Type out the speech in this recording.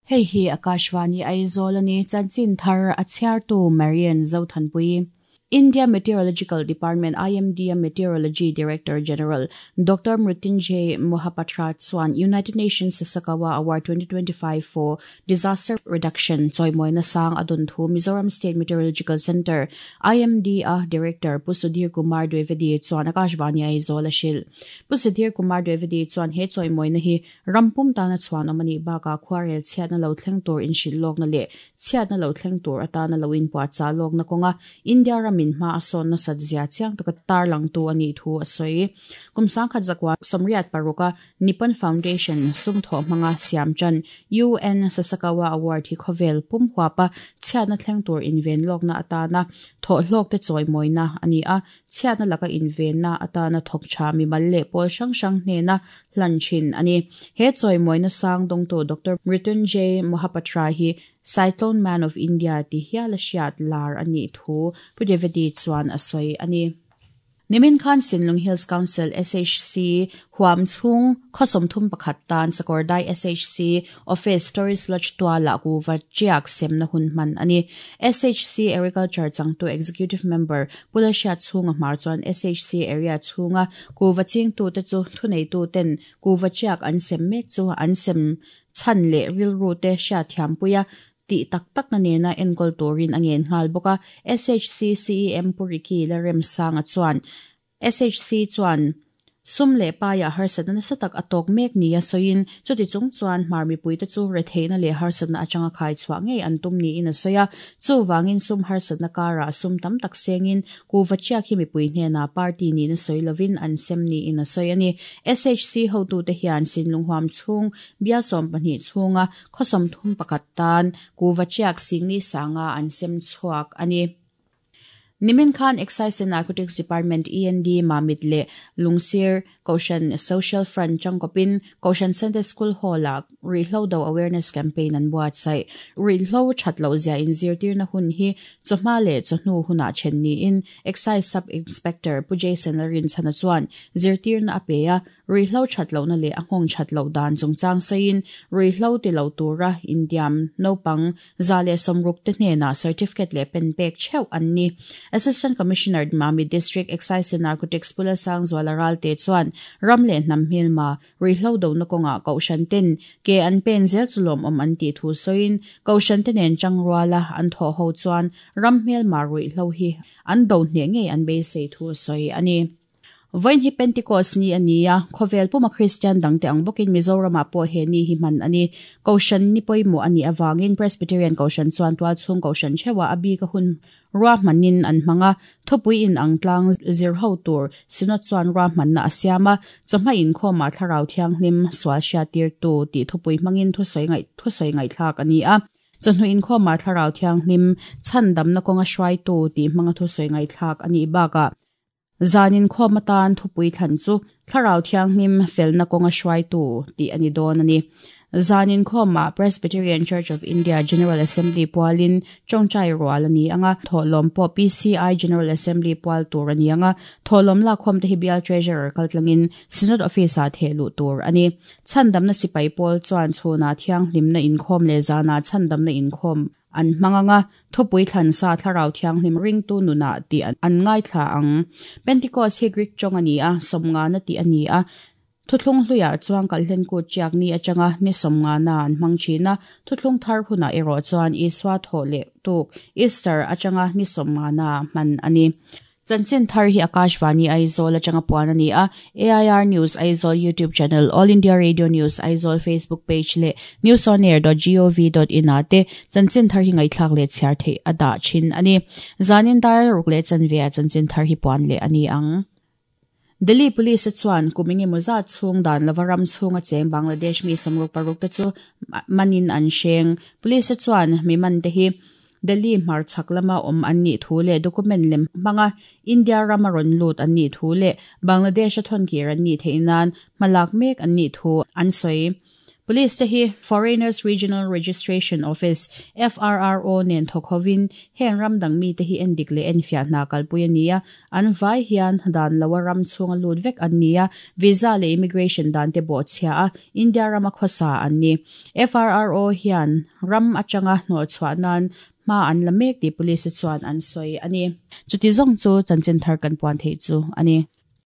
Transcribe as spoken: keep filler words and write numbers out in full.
Hei hi Akashvani Aizawl ani chanchin thar a chhiartu Marian Zothanpui. India Meteorological Department I M D Meteorology Director General Doctor Mrutyunjay Mohapatra chuan United Nations Sasakawa Award twenty twenty-five for Disaster Reduction chawimawi sang adun thu Mizoram State Meteorological Center I M D A Director Pu Sudhir Kumar Dwivedi chuan Akashvani Aizawl a hrilh. Pu Sudhir Kumar Dwivedi chuan he chawimawi na hi rampum tana chuan awm ani baka khuarel chhiatna lo thleng tur in hrilh lawk na leh chhiatna lo thleng tur atana lo in puah cha lawk na kawnga India ram min ma ason na sat zia chiang taka tar lang tu ani thu asoi kumsang khat zakwa somriat paruka Nippon Foundation sum tho manga siamchan U N Sasakawa Award hi khovel pum huapa chhiatna thleng tur inven lawkna atana tho hlawk te chawi moina ani a chhiatna laka inven na atana thok tha mi mal le pol sang sang hne na hlan thin ani he chawi moina sang dong to Doctor Mrutyunjay Mohapatra hi Cyclone Man of India ti hial hriat lar ani thu Pu Dwivedi chuan asoi ani. Nimin Khan Sinlung Hills Council S H C huam chung khosom thum pakhat tan Sakordai S H C Office Stories Lodge tua la ku va chiak sem na hun man ani. S H C Agriculture changtu Executive Member Pulasha chunga mar chuan S H C area chunga ku va ching tu te chu thunei tu ten ku va chiak an sem mek chu an sem chan le ril ru te sha thiam puya ti tak tak na nena enkol turin angen ngal boka S H C C E M Puriki la rem sanga chuan S H C chuan sum le pa ya harsatna na satak atok mek ni a soin chuti chung chuan marmi puite chu retheina le harsatna atanga khai chwa ngei antum ni in a soya chu wangin sum harsatna kara sum tam tak sengin ku vachia khi mi pui hne na party ni na soilovin an sem ni in a soyani S H C ho tu te hian sinlung huam chung bia som pahnih chunga khosom thum pakat tan ku vachiak singni sanga an sem chuak ani. Nimin Khan Excise and Narcotics Department E N D Mamit le Lungsir Koshan Social Front Changkopin Koshan Center School Hall la Rihlo Do Awareness Campaign an buat sai Rihlo Chatlo zia in zirtir na hun hi choma le chhnu huna chen ni in Excise Sub Inspector Pu Jason Larin chana chuan zirtir na apeya Rihlo Chatlo na le anghong chatlo dan chungchang sain Rihlo ti lo tura Indiam nopang zale somruk te hne na certificate le pen pek cheu an ni. Assistant Commissioner Mami District Excise and Narcotics Pula Sang Zwalaral te chuan ramle nam hilma rihlo do na konga kaushan ten ke an pen zel chulom om an ti thu soin kaushan ten en changruala an tho ho chuan ram hilma rihlo hi an do hne nge an be se thu soi ani. Vain hi Pentecost ni ania khovel puma Christian dangte ang bokin Mizoram po he ni hi man ani kaushan ni poimo ani awangin Presbyterian kaushan chuan tual chung kaushan chewa abi ka hun ra manin an manga thupui in ang tlang zir ho tur sinot chuan ra man na asiama choma in khoma thlarau thiang hlim swal sha tir tu ti thupui mangin thu soi ngai thu soi ngai thlak ani a chonu in khoma thlarau thiang hlim chan dam na konga hruai tu ti manga thu soi ngai thlak ani baka zanin khomatan thupui thlan chu thlarau thiang hlim felna konga hruai tu ti ani don ani. Zanin khoma Presbyterian Church of India General Assembly pualin chongchai rual ani anga tholom po P C I General Assembly pual tur ani anga tholom la khom te hibial treasurer kaltlangin Synod Office a thelu tur ani chandam na sipai pol chuan chuna thiang hlimna in khom le zana chandam na in khom an manganga thupui thlan sa thlarau thiang hlim ring tu nuna ti an ngai thla ang Pentecost hi Greek chong ani a somnga na ti ani a Thuthlung hluya chuang kalhlen ku chiak ni atanga ni somnga na an mang china thuthlung thar huna ero chuan Iswa tho le tuk Easter atanga ni somnga na man ani. Chanchin thar hi Akashvani Aizawl atanga puan ani a A I R News Aizawl YouTube channel All India Radio News Aizawl Facebook page le news on air dot gov dot in ate chanchin thar hi ngai thlak le chhiar thei ada chin ani zanin dar ruk le chanvia chanchin thar hi puan le ani ang. Delhi Police chuan kumingi muza chung dan lavaram chunga cheng Bangladesh mi samruk paruk te chu manin an sheng police chuan mi man te hi Delhi mar chaklama om an ni thu le document lem manga India ramaron lut an ni thu le Bangladesh thon kir an ni theinan malak mek an ni thu an soi. Police te hi Foreigners Regional Registration Office, F R R O nen thawk hovin heng ram dang mi te hi endik leh enfiah hna kalpui a ni a. An vai hian dan loa ram chhunga lut vek an ni a, visa leh immigration dan te bawhchhia a India rama khawsa an ni. F R R O hian ram atanga hnawh chhuah nan hma an la mek tih police chuan an sawi a ni. Chuti zawng chu chanchin thar kan puan thei chu a ni.